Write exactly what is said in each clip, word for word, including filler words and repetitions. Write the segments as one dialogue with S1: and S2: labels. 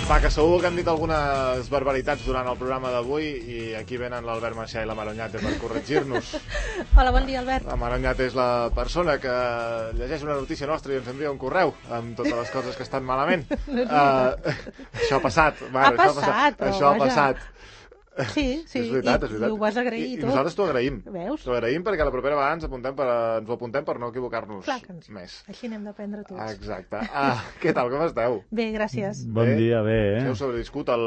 S1: Va, que segur que han dit algunes barbaritats durant el programa d'avui i aquí venen l'Albert Macià i la Maroñate per corregir-nos.
S2: Hola, bon dia, Albert.
S1: La Maroñate és la persona que llegeix una notícia nostra i ens envia un correu amb totes les coses que estan malament. uh, això ha passat.
S2: Mare, ha passat,
S1: això ha passat. Això ha passat.
S2: Sí, sí,
S1: és veritat,
S2: I,
S1: és veritat.
S2: i ho vas agrair
S1: I,
S2: tu.
S1: I nosaltres t'ho agraïm.
S2: Veus?
S1: T'ho agraïm perquè la propera vegada ens, apuntem per, ens ho apuntem per no equivocar-nos més.
S2: Així n'hem d'aprendre tots.
S1: Exacte. Ah, què tal, com esteu?
S2: Bé, gràcies.
S3: Bon bé? dia, bé, eh?
S1: Heu sobreviscut el...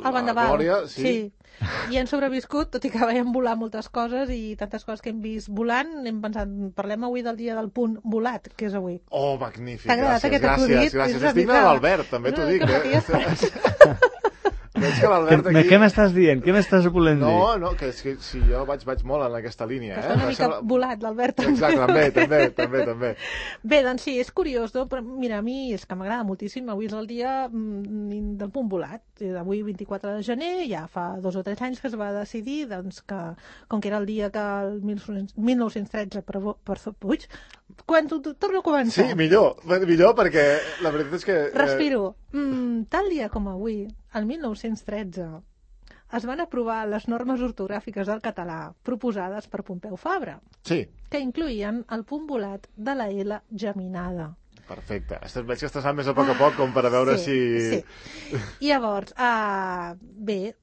S2: El vendaval.
S1: Glòria, sí.
S2: sí. I hem sobreviscut, tot i que veiem volar moltes coses i tantes coses que hem vist volant, hem pensat, parlem avui del dia del punt volat, que és avui.
S1: Oh, magnífic.
S2: T'ha agradat
S1: gràcies,
S2: aquest
S1: acudit?
S2: Gràcies,
S1: gràcies. Estic de l'Albert, també t'ho dic,
S2: eh?
S1: Veig que l'Albert aquí...
S3: Què m'estàs dient? Què m'estàs volent dir?
S1: No, no, que, és que si jo vaig, vaig molt en aquesta línia.
S2: Que
S1: eh?
S2: està una mica sembla... volat, l'Albert.
S1: Exacte, també, també, també, també.
S2: Bé, doncs sí, és curiós, no? Però mira, a mi és que m'agrada moltíssim. Avui és el dia mm, del punt volat. Avui, vint-i-quatre de gener, ja fa dos o tres anys que es va decidir doncs, que, com que era el dia que el mil nou-cents tretze per, per Puig, quan tu, tu, torno a començar.
S1: Sí, millor, millor perquè la veritat és que...
S2: Eh... Respiro. Mm, tal dia com avui, el mil nou-cents tretze, es van aprovar les normes ortogràfiques del català proposades per Pompeu Fabra,
S1: sí.
S2: que incloïen el punt volat de la L geminada.
S1: Perfecte. Veig que estàs més a poc a poc com per a veure
S2: sí,
S1: si...
S2: Sí. I llavors, uh, bé,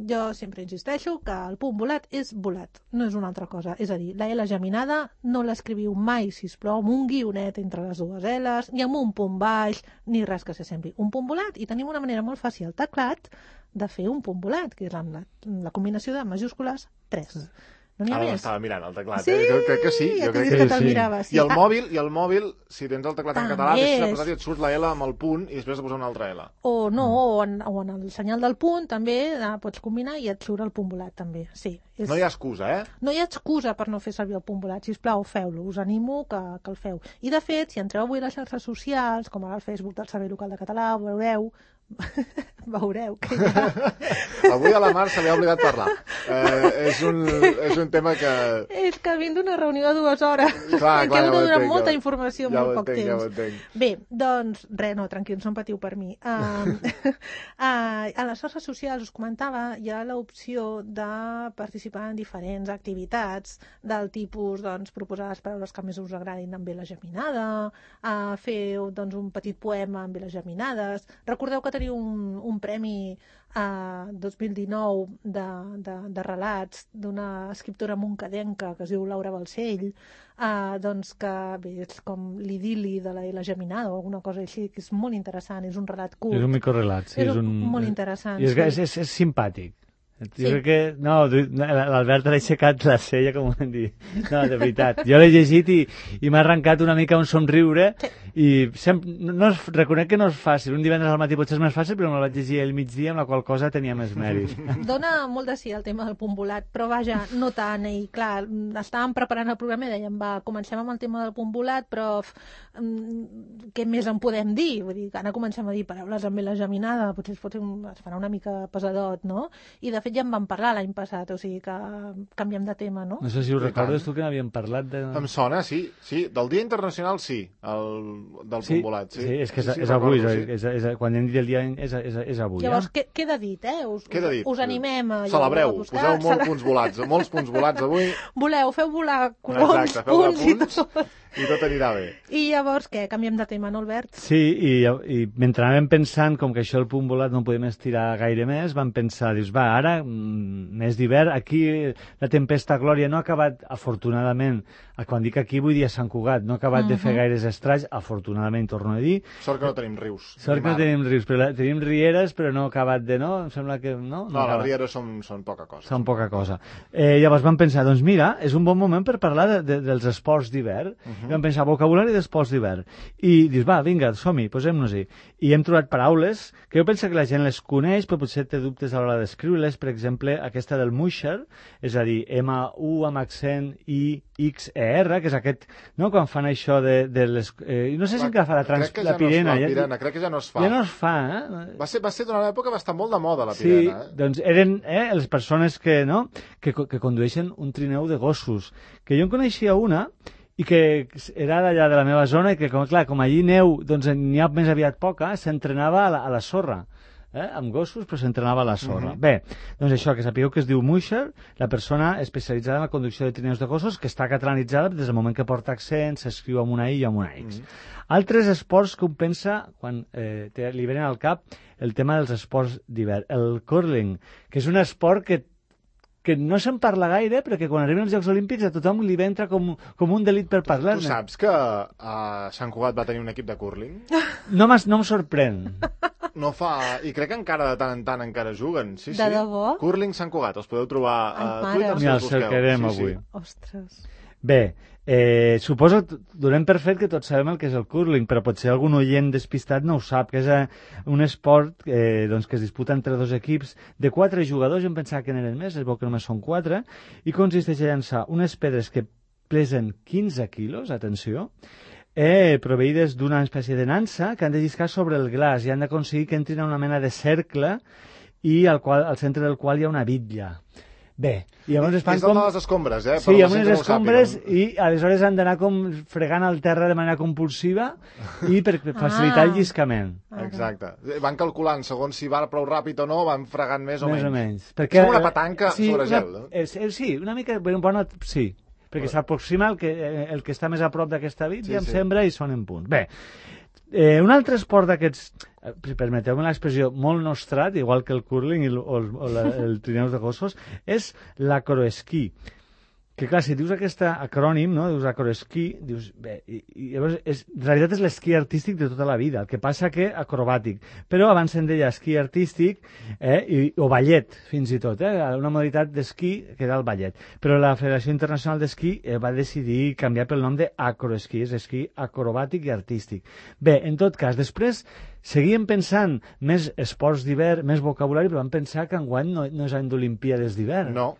S2: jo sempre insisteixo que el punt volat és volat, no és una altra cosa. És a dir, la L geminada no l'escriviu mai, sisplau, amb un guionet entre les dues L's, ni amb un punt baix, ni res que s'assembli. Un punt volat, i tenim una manera molt fàcil al teclat de fer un punt volat, que és la, la combinació de majúscules tres. No
S1: Ara l'estava mirant, el teclat.
S2: Sí,
S1: eh? Jo crec que sí.
S2: Ja
S1: jo
S2: crec
S1: que,
S2: que te'l miraves.
S1: I el mòbil, i el mòbil, si tens el teclat en català,
S2: és...
S1: deixes apretat i et surt la L amb el punt i després de posar una altra L.
S2: O no, o en, o en el senyal del punt també eh, pots combinar i et surt el punt volat també. Sí, és...
S1: No hi ha excusa, eh?
S2: No hi ha excusa per no fer servir el punt volat. Sisplau, feu-lo. Us animo que, que el feu. I de fet, si entreu avui a les xarxes socials, com ara el Facebook del Servei Local de Català, veureu veureu que ja...
S1: Avui a la Mar se li ha oblidat parlar. Eh, és, un, és un tema que...
S2: És que vinc d'una reunió de dues hores.
S1: Clar, clar,
S2: que hem de
S1: ja
S2: donar
S1: entenc,
S2: molta
S1: ja,
S2: informació en
S1: ja
S2: molt poc
S1: entenc,
S2: temps.
S1: Ja ho entenc.
S2: Bé, doncs, res, no, tranquils, no en patiu per mi. Uh, uh, a les xarxes socials, us comentava, hi ha l'opció de participar en diferents activitats del tipus, doncs, proposar les paraules que més us agradin amb veles geminada, uh, fer doncs, un petit poema amb veles geminades. Recordeu que teniu un, un premi a uh, dos mil dinou de, de, de relats d'una escriptora moncadenca que es diu Laura Balcell, uh, doncs que bé, és com l'idili de la L geminada o alguna cosa així, que és molt interessant, és un relat curt.
S3: És un microrelat, sí.
S2: És,
S3: és un,
S2: molt interessant.
S3: I és,
S2: sí.
S3: és, és, és simpàtic. Jo
S2: sí.
S3: crec que... No, l'Albert l'ha aixecat la cella, com ho hem dit. No, de veritat. Jo l'he llegit i, i m'ha arrencat una mica un somriure sí. i sempre, no és, reconec que no és fàcil. Un divendres al matí potser és més fàcil, però me la vaig llegir al migdia, amb la qual cosa tenia més mèrit.
S2: Dona molt de sí el tema del punt volat, però vaja, no tant. I clar, estàvem preparant el programa i dèiem, va, comencem amb el tema del punt volat, però mm, què més en podem dir? Vull dir, ara comencem a dir paraules amb la geminada, potser es, pot, es farà una mica pesadot, no? I de fet ja en vam parlar l'any passat, o sigui que canviem de tema, no?
S3: No sé si ho recordes tu que n'havíem parlat de...
S1: Em sona, sí, sí. Del Dia Internacional, sí, el, del
S3: sí,
S1: punt volat. Sí,
S3: sí és que és,
S1: sí, sí,
S3: és avui,
S1: recordo,
S3: és, és, és, quan hem dit el dia és, és, és avui.
S2: Llavors,
S3: eh?
S2: què, queda dit, eh? Us,
S1: queda dit.
S2: us animem a...
S1: Celebreu,
S2: a buscar,
S1: poseu molts
S2: cele...
S1: punts volats, molts punts volats avui.
S2: Voleu, feu volar coloms,
S1: exacte, feu
S2: punts,
S1: punts
S2: i tot.
S1: I tot anirà bé.
S2: I llavors, què? Canviem de tema, no, Albert?
S3: Sí, i, i mentre anàvem pensant, com que això el punt volat no ho podem estirar gaire més, vam pensar, dius, va, ara, mes d'hivern, aquí la tempesta Glòria no ha acabat, afortunadament, quan dic aquí vull dir a Sant Cugat, no ha acabat uh -huh. de fer gaires estralls, afortunadament, torno a dir.
S1: Sort que no tenim rius.
S3: Sort que no tenim rius, però la, tenim rieres, però no ha acabat de, no? Em sembla que, no?
S1: No, no les rieres són, són poca cosa.
S3: Són poca cosa. Eh, llavors vam pensar, doncs mira, és un bon moment per parlar de, de, dels esports d'hivern. Uh -huh. I vam pensar, vocabulari d'esports d'hivern. I dius, va, vinga, som-hi, posem-nos-hi. I hem trobat paraules que jo penso que la gent les coneix, però potser té dubtes a l'hora d'escriure-les. Per exemple, aquesta del musher, és a dir, ema u amb accent i ics e erre, que és aquest, no?, quan fan això de, de les... Eh, no sé si encara fa la, trans, la pirena.
S1: No ja, pirena. Crec que ja no es fa.
S3: Ja no es fa, eh?
S1: Va ser, va ser durant l'època, va estar molt de moda, la
S3: sí,
S1: pirena. Eh?
S3: Doncs eren eh, les persones que, no?, que, que condueixen un trineu de gossos. Que jo en coneixia una i que era d'allà de la meva zona i que, com, clar, com allí neu doncs n'hi ha més aviat poca, s'entrenava a, la, a la sorra. Eh? Amb gossos, però s'entrenava a la sorra. Uh -huh. Bé, doncs això, que sapigueu que es diu Musher, la persona especialitzada en la conducció de trineus de gossos, que està catalanitzada des del moment que porta accent, s'escriu amb una I i amb una X. Uh -huh. Altres esports que un pensa, quan eh, te, li venen al cap, el tema dels esports d'hivern. El curling, que és un esport que que no se'n parla gaire, però que quan arriben els Jocs Olímpics a tothom li va entrar com, com un delit per parlar-ne.
S1: Tu saps que uh, Sant Cugat va tenir un equip de curling?
S3: No, no em sorprèn.
S1: No fa... I crec que encara de tant en tant encara juguen. Sí,
S2: de
S1: sí.
S2: debò?
S1: Curling Sant Cugat, els podeu trobar a Twitter.
S3: Mira, el cercarem
S1: sí,
S3: avui.
S1: Sí.
S2: Ostres.
S3: Bé, eh, suposo que donem per fet que tots sabem el que és el curling, però potser algun oient despistat no ho sap, que és eh, un esport eh, doncs, que es disputa entre dos equips de quatre jugadors, jo em pensava que n'eren més, es veu que només són quatre, i consisteix a llançar unes pedres que pesen quinze quilos, atenció, eh, proveïdes d'una espècie de nansa que han de lliscar sobre el glaç i han d'aconseguir que entrin a una mena de cercle i al, qual, al centre del qual hi ha una bitlla. Bé, i llavors es fan
S1: és
S3: com...
S1: És de les escombres, eh?
S3: Sí, amb unes escombres i aleshores han d'anar com fregant el terra de manera compulsiva i per facilitar
S2: Ah.
S3: el lliscament.
S1: Exacte. Van calculant segons si va prou ràpid o no, van fregant més o
S3: Més
S1: menys.
S3: o menys.
S1: És com una petanca sobre gel,
S3: una,
S1: no?
S3: És, és, sí, una mica... Bona, sí, perquè s'aproxima el, que, el que està més a prop d'aquesta bit
S1: Sí,
S3: i em
S1: sí.
S3: sembra i són en punt. Bé, eh, un altre esport d'aquests, eh, permeteu-me l'expressió, molt nostrat, igual que el curling i el, o el, o la, el trineus de gossos, és l'acroesquí. Que clar, si dius aquest acrònim, no? Dius acroesquí, dius, bé, i, i llavors és, en realitat és l'esquí artístic de tota la vida, el que passa que acrobàtic, però abans se'n deia esquí artístic eh, i, o ballet, fins i tot, eh, una modalitat d'esquí que era el ballet, però la Federació Internacional d'Esquí eh, va decidir canviar pel nom d'acroesquí, és esquí acrobàtic i artístic. Bé, en tot cas, després seguíem pensant més esports d'hivern, més vocabulari, però vam pensar que enguany no, no és any d'Olimpíades d'hivern.
S1: No.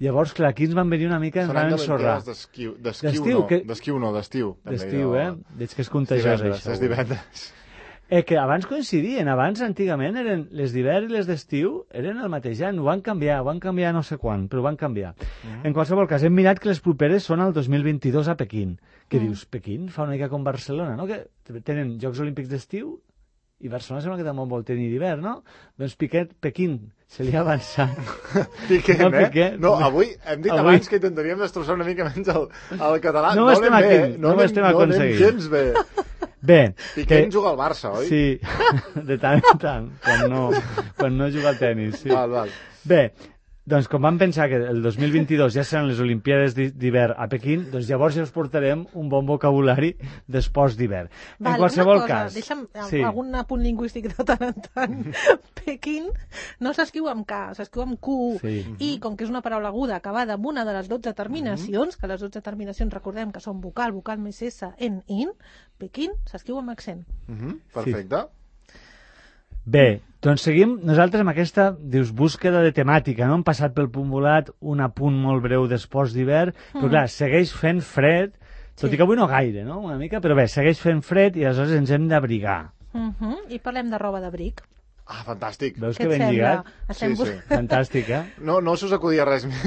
S3: Llavors, clar, aquí ens van venir una mica, ens
S1: Són
S3: van
S1: anys
S3: ensorrar.
S1: d'estiu,
S3: D'estiu,
S1: d'estiu no,
S3: que-
S1: d'estiu no, d'estiu. també,
S3: D'estiu,
S1: jo-
S3: eh? Veig que és contagiós,
S1: Divendres,
S3: això.
S1: és divendres.
S3: Eh, que abans coincidien, abans, antigament, eren les d'hivern i les d'estiu eren el mateix any, ho van canviar, ho van canviar no sé quan, però ho van canviar.
S1: Mm.
S3: En qualsevol cas, hem mirat que les properes són el dos mil vint-i-dos a Pequín. Que
S2: Mm.
S3: dius, Pequín fa una mica com Barcelona, no? Que tenen Jocs Olímpics d'estiu i Barcelona sembla que també vol tenir d'hivern, no? Doncs Piquet, Pequín, se li ha avançat.
S1: Piquem,
S3: No,
S1: eh?
S3: Piqué.
S1: No, avui hem dit
S3: Avui.
S1: abans que intentaríem destrossar una mica menys el, el català.
S3: No ho estem
S1: anem bé,
S3: aquí, no ho
S1: anem-
S3: estem
S1: no anem
S3: aconseguint.
S1: gens bé.
S3: Bé,
S1: Piqué juga al Barça, oi?
S3: Sí, de tant en tant, quan no, quan no juga al tenis. Sí.
S1: Val, val.
S3: Bé, doncs com vam pensar que el dos mil vint-i-dos ja seran les Olimpíades d'hi- d'hivern a Pequín, doncs llavors ja us portarem un bon vocabulari d'esports d'hivern. En
S2: Val,
S3: qualsevol
S2: una cosa,
S3: cas...
S2: deixa'm
S3: Sí.
S2: algun apunt lingüístic de tant en tant. Pequín no s'escriu amb K, s'escriu amb Q.
S3: Sí.
S2: I com que és una paraula aguda acabada amb una de les dotze terminacions, que les dotze terminacions recordem que són vocal, vocal més S, en, in, Pequín s'escriu amb accent.
S1: Mhm, perfecte.
S3: Bé, doncs seguim nosaltres amb aquesta, dius, búsqueda de temàtica, no? Hem passat pel punt volat, un apunt molt breu d'esports d'hivern, però clar, segueix fent fred, tot
S2: Sí.
S3: i que avui no gaire, no? Una mica, però bé, segueix fent fred i aleshores ens hem d'abrigar.
S2: Uh -huh. I parlem de roba d'abric.
S1: Ah, fantàstic.
S3: Veus
S2: Què
S3: que
S2: et
S3: ben
S2: sembla?
S3: lligat?
S2: Estem
S1: Sí,
S2: bus-
S1: sí.
S3: Fantàstic, eh?
S1: No, no se us acudia res més.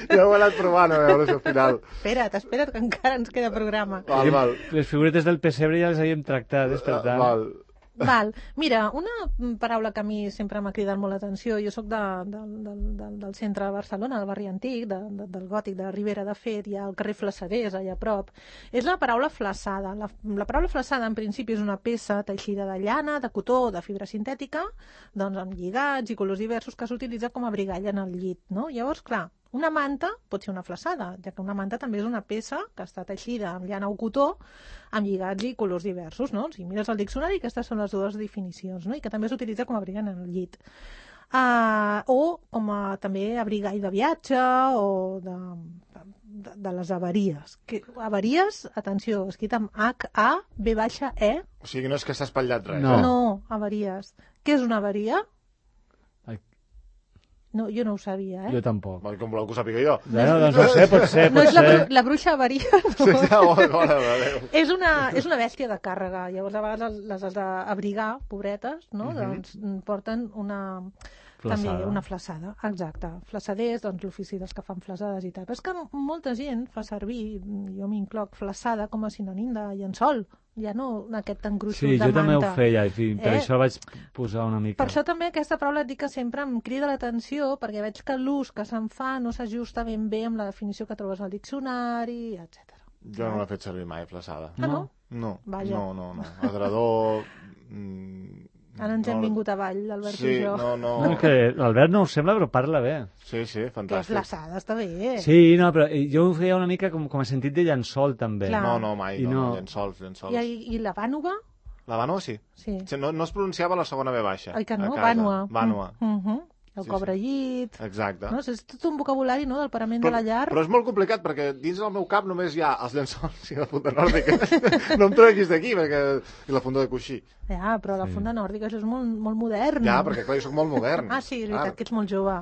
S1: Ja ho he anat provant, a veure si al final...
S2: Espera't, espera't, que encara ens queda programa.
S1: Val, val.
S3: Les figuretes del pessebre ja les havíem tractat, per tant...
S1: Val.
S2: Val. Mira, una paraula que a mi sempre m'ha cridat molt l'atenció, jo sóc de, de, de, de, del centre de Barcelona, del barri antic, de, de, del gòtic, de Ribera de Fet, hi ha el carrer Flassaders, allà a prop, és la paraula flaçada. La, la paraula flaçada, en principi, és una peça teixida de llana, de cotó o de fibra sintètica, doncs amb lligats i colors diversos que s'utilitza com a abrigall en el llit, no? Llavors, clar, una manta pot ser una flaçada, ja que una manta també és una peça que està teixida amb llana o cotó, amb lligats i colors diversos, no? Si mires el diccionari, aquestes són les dues definicions, no? I que també s'utilitza com a abrigall en el llit. Uh, o com a també abrigall de viatge o de, de, de les avaries. Que, avaries, atenció, escrit amb H A B baixa E.
S1: O sigui, no és que s'ha espatllat res.
S3: No.
S1: Eh?
S2: No, avaries. Què és una avaria?
S3: Ai.
S2: No, jo no ho sabia, eh?
S3: Jo tampoc.
S1: Val, com voleu que ho sàpiga jo.
S3: Bueno, doncs no sé, pot ser,
S2: No
S3: pot
S2: és la,
S3: ser.
S2: bru la bruixa avaria,
S1: Sí,
S2: no.
S1: ja, bona, bona, adéu.
S2: És una, és una bèstia de càrrega. Llavors, a vegades les has d'abrigar, pobretes, no?
S1: Mhm.
S2: Doncs mm, porten una... també
S3: Flaçada.
S2: una flaçada, exacte. Flaçaders, doncs l'ofici dels que fan flaçades i tal. Però és que molta gent fa servir, jo m'incloc, flaçada com a sinònim de llençol, ja no aquest engruixos
S3: Sí,
S2: de manta.
S3: jo també ho feia, i fi, per
S2: Eh?
S3: això vaig posar una mica.
S2: Per això també aquesta paraula et dic que sempre em crida l'atenció, perquè veig que l'ús que se'n fa no s'ajusta ben bé amb la definició que trobes al diccionari, etcètera.
S1: Jo no l'he fet servir mai, flaçada.
S2: Ah, no?
S1: No,
S2: Vaja.
S1: no, no, no. Adredor... Mm,
S2: Ara ens hem
S1: no,
S2: vingut avall, l'Albert
S1: Sí,
S2: i jo.
S1: no, no.
S3: No, que l'Albert no ho sembla, però parla bé.
S1: Sí, sí,
S2: Que
S1: fantàstic.
S2: flaçada, està bé.
S3: Sí, no, però jo ho feia una mica com, com a sentit de llençol, també.
S2: Clar.
S1: No, no, mai,
S3: I
S1: no,
S3: no.
S1: no, llençols, llençols.
S2: I, I la vànova?
S1: La Vànua sí.
S2: Sí.
S1: Sí, No, no es pronunciava la segona ve baixa.
S2: Oi que no?
S1: a casa.
S2: Vànua.
S1: Vànua.
S2: Mm -hmm. El
S1: Sí,
S2: cobrellit...
S1: Exacte.
S2: No? És tot un vocabulari, no?, del parament de la llar.
S1: però és molt complicat, perquè dins del meu cap només hi ha els llençols i la funda nòrdica. No em treguis d'aquí, perquè... I la funda de coixí.
S2: Ja, però la
S3: Sí.
S2: funda nòrdica, això és molt, molt modern.
S1: Ja, perquè clar, jo soc molt modern.
S2: Ah, sí, és veritat,
S1: Clar.
S2: que ets molt jove.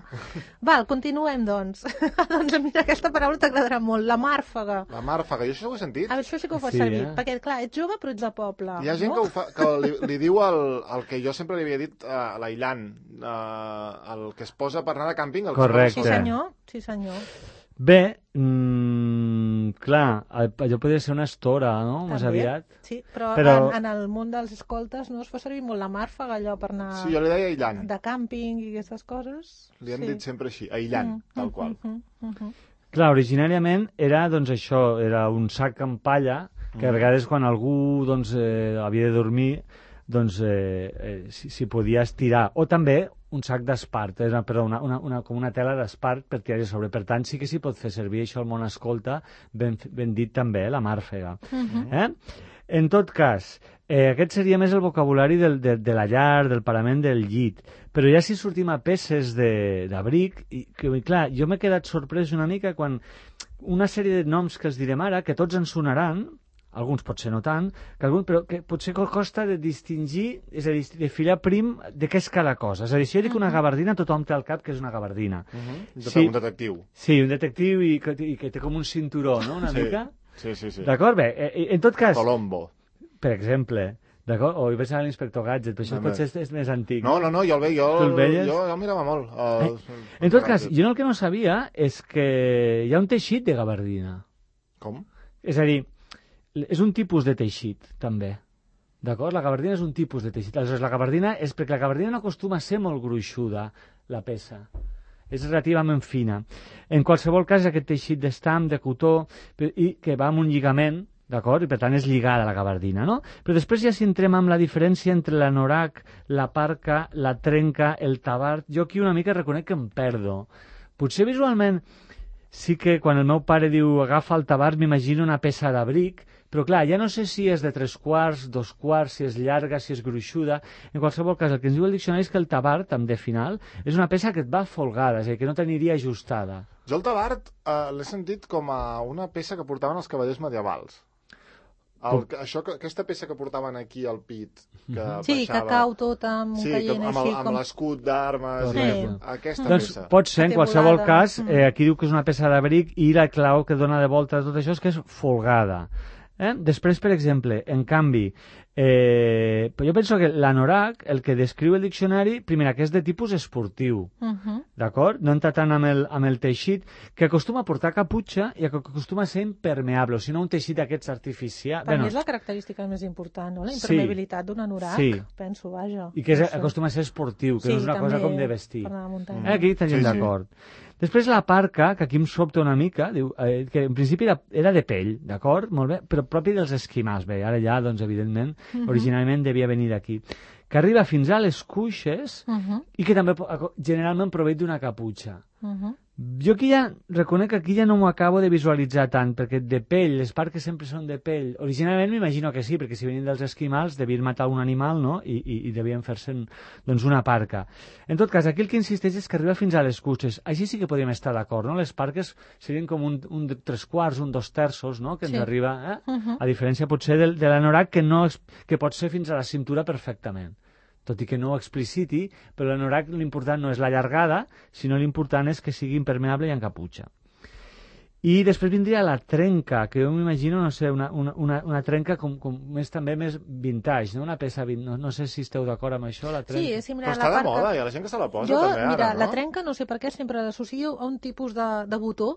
S2: Val, continuem, doncs. Doncs mira, aquesta paraula t'agradarà molt, la màrfaga.
S1: La màrfaga, jo això ho he sentit.
S2: A veure, això sí que ho fas
S3: Sí,
S2: servir,
S3: eh?
S2: perquè, clar, ets jove però ets de poble.
S1: Hi ha gent
S2: no?
S1: que, ho fa, que li, li diu el, el que jo sempre li havia dit a l'aïllant, uh, el que es posa per anar de càmping. El
S3: Correcte.
S2: Sí, senyor, sí, senyor.
S3: Bé, mm, clar, allò podria ser una estora, no?, més
S2: També.
S3: aviat.
S2: Sí, però,
S3: Però-
S2: En, en el món dels escoltes no es fa servir molt la màrfaga, allò per anar
S1: Sí, jo li deia aïllant.
S2: de càmping i aquestes coses.
S1: Li hem
S2: sí.
S1: dit sempre així, aïllant, tal qual.
S2: Mm, mm, mm, mm.
S3: Clar, originàriament era, doncs, això, era un sac amb palla, que a vegades quan algú, doncs, eh, havia de dormir, doncs, eh, eh, s'hi s'hi podia estirar. O també un sac d'espart, eh, però una, una, una, com una tela d'espart per tirar sobre. Per tant, sí que s'hi pot fer servir això al món escolta, ben, ben dit també, eh, la màrfega.
S2: Mhm.
S3: Eh? En tot cas, eh, aquest seria més el vocabulari del, de, de la llar, del parament, del llit. Però ja si sortim a peces de- d'abric, i que, clar, jo m'he quedat sorprès una mica quan una sèrie de noms que els direm ara, que tots ens sonaran, alguns potser no tant, que algun, però que potser costa de distingir, és a dir, de filar prim de què és cada cosa. És a dir, si jo dic una gabardina, tothom té al cap que és una gabardina.
S1: Uh -huh.
S3: Sí.
S1: Un detectiu.
S3: Sí, un detectiu i que, i que té com un cinturó, no?, una
S1: Sí.
S3: mica.
S1: Sí, sí, sí.
S3: D'acord? Bé, eh, en tot cas,
S1: Colombo.
S3: per exemple, d'acord? O hi vaig anar a l'inspector Gadget, però això
S1: Home.
S3: potser és, és més antic.
S1: No, no, no, jo el veia, jo,
S3: Tu el veies?
S1: jo, jo el mirava molt. El,
S3: En tot cas, jo el que no sabia és que hi ha un teixit de gabardina.
S1: Com?
S3: És a dir, és un tipus de teixit, també. D'acord? La gabardina és un tipus de teixit. Aleshores, la gabardina és perquè la gabardina no acostuma a ser molt gruixuda, la peça. És relativament fina. En qualsevol cas, és aquest teixit d'estam, de cotó, i que va amb un lligament, d'acord? I per tant és lligada a la gabardina, no? Però després ja si entrem amb la diferència entre l'anorac, la parca, la trenca, el tabard, jo aquí una mica reconec que em perdo. Potser visualment sí que quan el meu pare diu agafa el tabard m'imagino una peça d'abric, però clar, ja no sé si és de tres quarts, dos quarts, si és llarga, si és gruixuda. En qualsevol cas, el que ens diu el diccionari és que el tabard, amb de final, és una peça que et va folgada, és a dir, que no t'aniria ajustada.
S1: Jo el tabard eh, l'he sentit com a una peça que portaven els cavallers medievals. El, que- això, que- aquesta peça que portaven aquí al pit, que
S2: Sí, que
S1: baixava...
S2: cau tot amb un
S1: Sí,
S2: caient
S1: com, amb
S2: així.
S1: el- amb
S2: com...
S1: l'escut d'armes,
S3: Correcte.
S1: aquesta
S3: Doncs
S1: peça.
S3: pot ser, en
S2: Té
S3: qualsevol
S2: volada.
S3: cas,
S2: Mm.
S3: eh, aquí diu que és una peça d'abric i la clau que dona de volta a tot això és que és folgada. Eh? Després, per exemple, en canvi, eh, jo penso que l'anorac, el que descriu el diccionari, primera, que és de tipus esportiu,
S2: Uh -huh.
S3: d'acord? No entra tant amb el, amb el teixit, que acostuma a portar caputxa i que acostuma a ser impermeable, o si no un teixit d'aquests artificials.
S2: Per mi és la característica més important, no? La impermeabilitat d'un anorac,
S3: Sí.
S2: penso, vaja.
S3: I que és,
S2: No sé.
S3: acostuma a ser esportiu, que
S2: Sí,
S3: no és una cosa
S2: també
S3: com de vestir.
S2: per anar a muntanya.
S3: Eh, aquí estaríem
S1: Sí, sí.
S3: d'acord. Després la parca, que aquí em sobta una mica, diu, eh, que en principi era, era de pell, d'acord? Molt bé, però propi dels esquimals. Bé, ara ja, doncs, evidentment,
S2: Mhm.
S3: originalment devia venir d'aquí. Que arriba fins a les cuixes
S2: Uh -huh.
S3: i que també po- generalment prové d'una caputxa.
S2: Uh -huh.
S3: Jo aquí ja, reconec que aquí ja no m'ho acabo de visualitzar tant, perquè de pell, les parques sempre són de pell. Originalment m'imagino que sí, perquè si venien dels esquimals devien matar un animal, no?, i, i, i devien fer-se, doncs, una parca. En tot cas, aquí el que insisteix és que arriba fins a les cuixes. Així sí que podríem estar d'acord, no? Les parques serien com un, un de tres quarts, un dos terços, no?, que ens
S2: Sí.
S3: arriba, eh?
S2: Uh -huh.
S3: A diferència potser del, de l'anorac, que, no, és- que pot ser fins a la cintura perfectament. Tot i que no ho expliciti, però l'anorac l'important no és la llargada, sinó l'important és que sigui impermeable i amb caputxa. I després vindria la trenca, que jo m'imagino, no sé, una, una, una, una trenca com, com més, també més vintage, no? Una peça, no, no sé si esteu d'acord amb això, la trenca.
S2: Sí, és similar.
S1: Però està de moda, hi ha la gent que se la posa
S2: jo,
S1: també ara,
S2: mira,
S1: no?
S2: La trenca, no sé per què, sempre l'associo a un tipus de, de botó,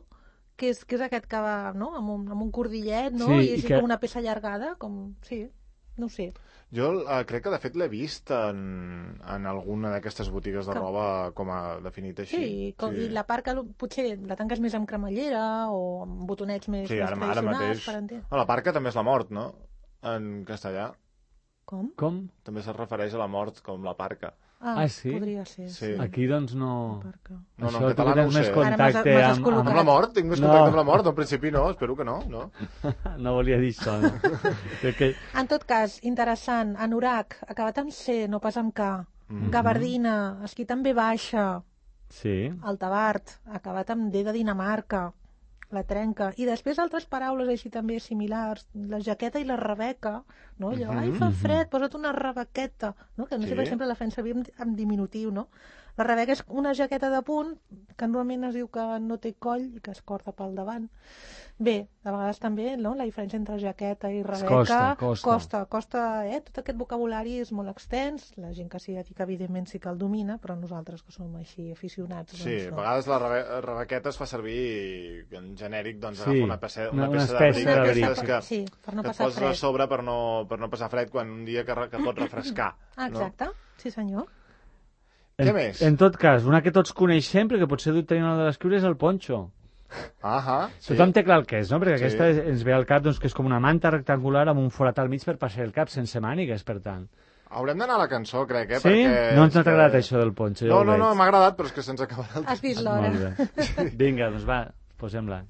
S2: que és, que és aquest que va, no?, amb un, amb un cordillet, no?,
S3: Sí,
S2: i així
S3: que...
S2: com una peça allargada, com... Sí, no ho sé.
S1: Jo uh, crec que, de fet, l'he vist en, en alguna d'aquestes botigues de
S2: que...
S1: roba com a definit així.
S2: Sí, com, sí, i la part que potser la tanques més amb cremallera o amb botonets més,
S1: sí,
S2: més
S1: ara,
S2: tradicionals.
S1: Ara mateix...
S2: Per entendre.
S1: No, la parca també és la mort, no?, en castellà.
S2: Com?
S3: Com?
S1: També se refereix a la mort com la parca.
S2: Ah,
S3: ah sí?
S2: Podria ser.
S1: Sí.
S2: Sí.
S3: Aquí, doncs, no...
S1: No, no,
S3: això,
S1: en català no ho
S3: més
S1: sé.
S3: contacte
S2: Ara m'has
S3: amb, amb...
S1: Amb la mort? Tinc més
S3: No.
S1: contacte amb la mort? Al principi no, espero que no. No,
S3: no volia dir això, no? que...
S2: En tot cas, interessant, anorac, acabat amb C, no pas amb K.
S1: Mm-hmm.
S2: Gabardina, esquí també baixa.
S3: Sí.
S2: Altabart, acabat amb D de Dinamarca. La trenca. I després altres paraules així també similars, la jaqueta i la rebeca, no? Allò, ai, fa fred, posa't una rebequeta, no? Que no sé,
S1: Sí.
S2: per exemple, la fem servir en, en diminutiu, no? La rebeca és una jaqueta de punt que normalment es diu que no té coll i que es corta pel davant. Bé, a vegades també, no?, la diferència entre jaqueta i rebeca
S3: costa, costa.
S2: costa, costa, eh? Tot aquest vocabulari és molt extens, la gent que s'hi dedica evidentment sí que el domina, però nosaltres que som així aficionats,
S1: sí,
S2: doncs
S1: a
S2: no.
S1: vegades la rebe rebequeta es fa servir en genèric, doncs
S3: Sí,
S1: agafa una peça, una
S3: una
S1: peça
S3: espècie
S1: d'abric
S3: d'abric.
S1: d'aquestes que,
S2: Sí, per no
S1: que et
S2: passar
S1: poses
S2: fred.
S1: a sobre per no, per no passar fred quan un dia que, re- que pot refrescar.
S2: Ah, exacte, sí senyor.
S1: Què
S3: En,
S1: més?
S3: en tot cas, una que tots coneixem, perquè potser tenir una de l'escriure, és el ponxo.
S1: Ahà, sí.
S3: Tothom té clar el que és, no? Perquè
S1: Sí.
S3: aquesta és, ens ve al cap doncs, que és com una manta rectangular amb un forat al mig per passar el cap, sense mànigues, per tant.
S1: Haurem d'anar a la cançó, crec, eh?
S3: Sí?
S1: Perquè
S3: No ens
S1: és
S3: ha agradat
S1: que-
S3: això del ponxo, ja
S1: No,
S3: ho
S1: no,
S3: veig.
S1: no, m'ha agradat, però és que se'ns acabarà el
S2: Has vist l'hora.
S3: Molt bé. Vinga, doncs va, posem-la.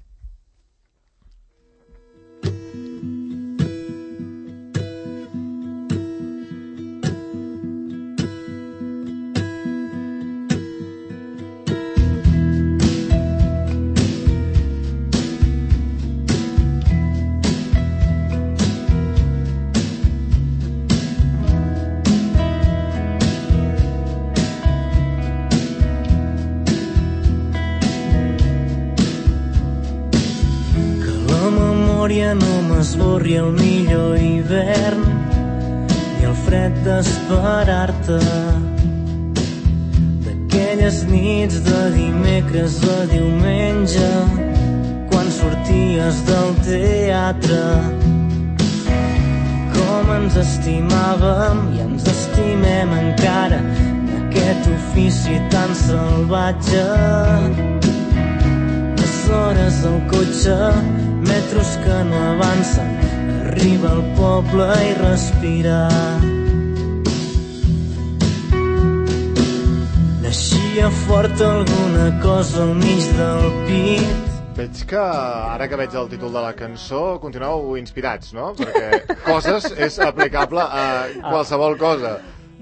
S4: No m'esborri el millor hivern ni el fred d'esperar-te, d'aquelles nits de dimecres a diumenge quan sorties del teatre. Com ens estimàvem i ens estimem encara d'aquest ofici tan salvatge. Les hores al cotxe, metros que no avancen, arriba al poble i respirar. Naixia fort alguna cosa al mig del pit.
S1: Veig que, ara que veig el títol de la cançó, continueu inspirats, no? Perquè coses és aplicable a qualsevol cosa.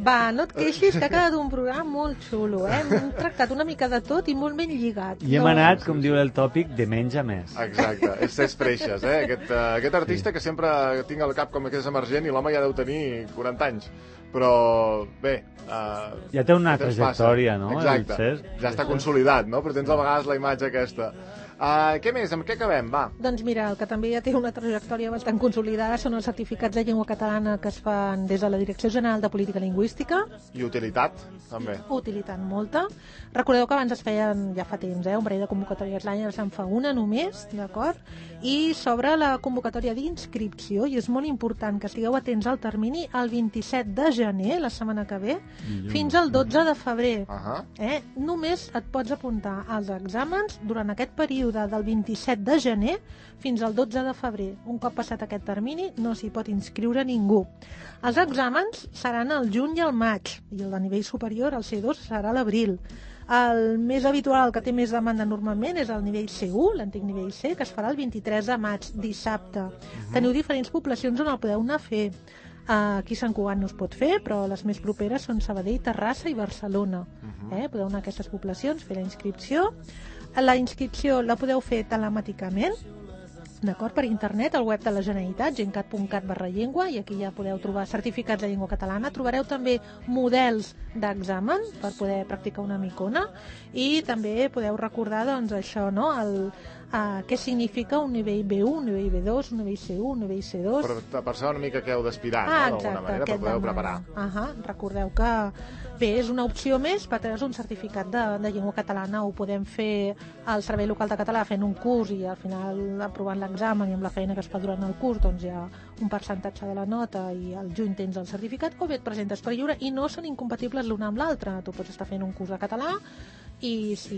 S2: Va, no et queixis, que ha quedat un programa molt xulo, eh? Hem tractat una mica de tot i molt ben lligat.
S3: I hem anat, com diu el tòpic, de menys a més.
S1: Exacte, és ses freixes, eh? Aquest, uh, aquest artista que sempre tinc al cap com que és emergent i l'home ja deu tenir quaranta anys. Però, bé... Uh,
S3: ja té una
S1: el temps
S3: trajectòria,
S1: passa.
S3: no?
S1: Exacte,
S3: El Cesc.
S1: ja està consolidat, no? Però tens a vegades la imatge aquesta. Uh, què més? Amb què acabem? Va.
S2: Doncs mira, el que també ja té una trajectòria bastant consolidada són els certificats de llengua catalana que es fan des de la Direcció General de Política Lingüística.
S1: I utilitat, també.
S2: Utilitat molta. Recordeu que abans es feien, ja fa temps, eh, un parell de convocatòries l'any, ara se'n fa una només, d'acord? I s'obre la convocatòria d'inscripció, i és molt important que estigueu atents al termini, el vint-i-set de gener, la setmana que ve, fins al dotze de febrer.
S1: Uh -huh.
S2: eh? Només et pots apuntar als exàmens durant aquest període del vint-i-set de gener fins al dotze de febrer. Un cop passat aquest termini no s'hi pot inscriure ningú. Els exàmens seran al juny i al maig, i el de nivell superior, el C dos, serà a l'abril. El més habitual, el que té més demanda normalment, és el nivell C u, l'antic nivell C, que es farà el vint-i-tres de maig, dissabte. Uh-huh. Teniu diferents poblacions on el podeu anar a fer. Uh, aquí a Sant Cugat no es pot fer, però les més properes són Sabadell, Terrassa i Barcelona. Uh-huh. eh? Podeu anar a aquestes poblacions, fer la inscripció. La inscripció la podeu fer telemàticament, d'acord, per internet, al web de la Generalitat, gencat punt cat barra llengua, i aquí ja podeu trobar certificats de llengua catalana. Trobareu també models d'examen per poder practicar una micona, i també podeu recordar, doncs, això, no?, el, Uh, què significa un nivell B u, un nivell B dos, un nivell C u, un nivell C dos...
S1: Per, per saber una mica què heu d'aspirar,
S2: ah,
S1: no? D'alguna manera, per poder-ho preparar.
S2: Uh -huh. Recordeu que bé, és una opció més per tenir un certificat de, de llengua catalana. Ho podem fer al Servei Local de Català fent un curs i al final aprovant l'examen i amb la feina que es fa durant el curs doncs hi ha un percentatge de la nota i al juny tens el certificat, o bé et presentes per lliure i no són incompatibles l'una amb l'altra. Tu pots estar fent un curs de català i, si,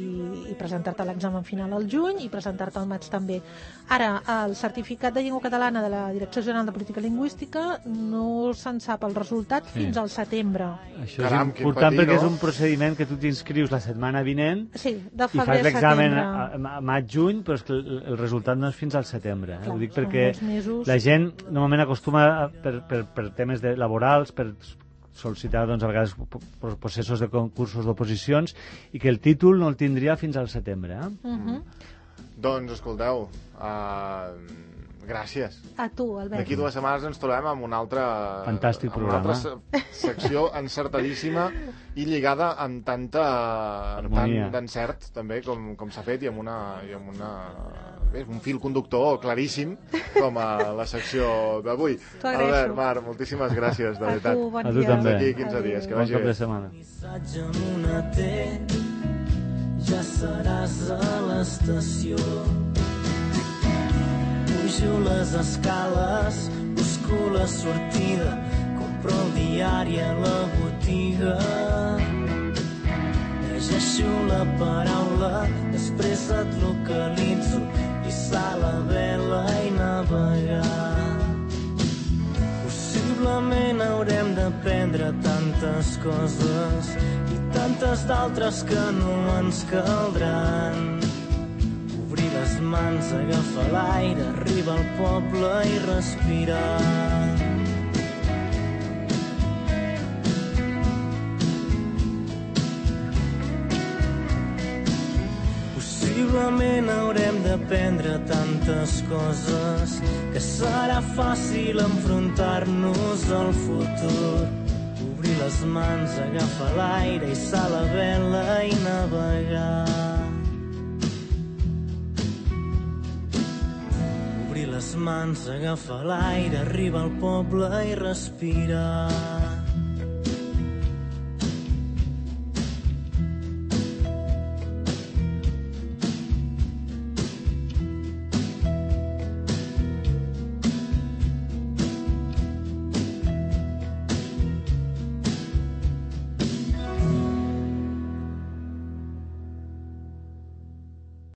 S2: i presentar-te a l'examen final al juny i presentar-te al maig també. Ara, el certificat de llengua catalana de la Direcció General de Política Lingüística no se'n sap el resultat sí. fins al setembre.
S3: Això Caram, és important patir, perquè no? És un procediment que tu t'inscrius la setmana vinent
S2: sí, de
S3: i fas l'examen a, a maig-juny, però és que el, el resultat no és fins al setembre. Eh?
S2: Clar,
S3: ho dic perquè la gent normalment acostuma a, per, per, per temes de laborals, per sol·licitar doncs, a vegades processos de concursos d'oposicions i que el títol no el tindria fins al setembre. Eh?
S2: Uh-huh.
S1: Doncs, escolteu, uh, gràcies.
S2: A tu, Albert.
S1: D'aquí dues setmanes ens trobem amb una altra...
S3: Fantàstic
S1: amb
S3: programa.
S1: Una altra secció encertadíssima i lligada amb tanta... amb tant d'encert, també, com, com s'ha fet, i amb una... I amb una bé, un fil conductor claríssim, com a la secció d'avui. Albert, Mar, moltíssimes gràcies, de veritat.
S2: A tu, bon
S3: a tu dia. També.
S1: D'aquí quinze Adeu. dies, que vagi
S3: bon cap de setmana.
S4: Ja seràs a l'estació. Pujo les escales, busco la sortida, compro el diari a la botiga. Llegeixo la paraula, després et localitzo i sal a vela i navegar. Possiblement haurem d'aprendre tantes coses i tantes d'altres que no ens caldran. Obrir les mans, agafar l'aire, arribar al poble i respirar. Possiblement haurem d'aprendre tantes coses que serà fàcil enfrontar-nos al futur. Obrir les mans, agafar l'aire i sal a vela i navegar. Obrir les mans, agafar l'aire, arribar al poble i respirar.